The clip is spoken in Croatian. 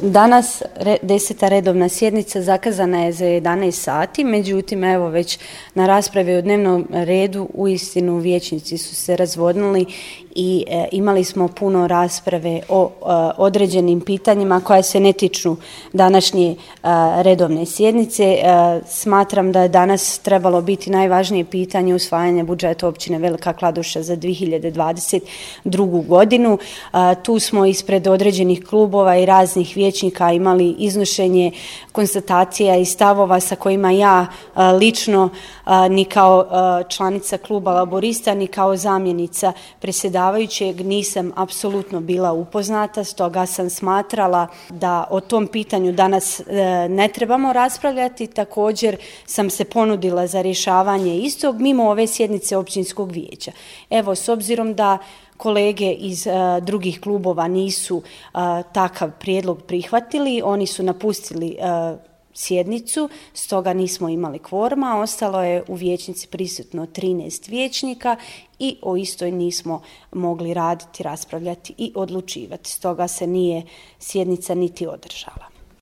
Danas 10. redovna sjednica zakazana je za 11 sati, međutim evo već na raspravi o dnevnom redu uistinu vijećnici su se razvodnili i imali smo puno rasprave o određenim pitanjima koja se ne tiču današnje redovne sjednice. Smatram da je danas trebalo biti najvažnije pitanje usvajanje budžeta općine Velika Kladuša za 2022. godinu. Tu smo ispred određenih klubova i raznih vijećnika imali iznošenje konstatacija i stavova sa kojima ja lično ni kao članica kluba Laburista ni kao zamjenica predsjedavajućeg nisam apsolutno bila upoznata, stoga sam smatrala da o tom pitanju danas ne trebamo raspravljati. Također sam se ponudila za rješavanje istog mimo ove sjednice općinskog vijeća. Evo, s obzirom da kolege iz drugih klubova nisu takav prijedlog prihvatili, oni su napustili sjednicu, stoga nismo imali kvoruma, ostalo je u vijećnici prisutno 13 vijećnika i o istoj nismo mogli raditi, raspravljati i odlučivati, stoga se nije sjednica niti održala.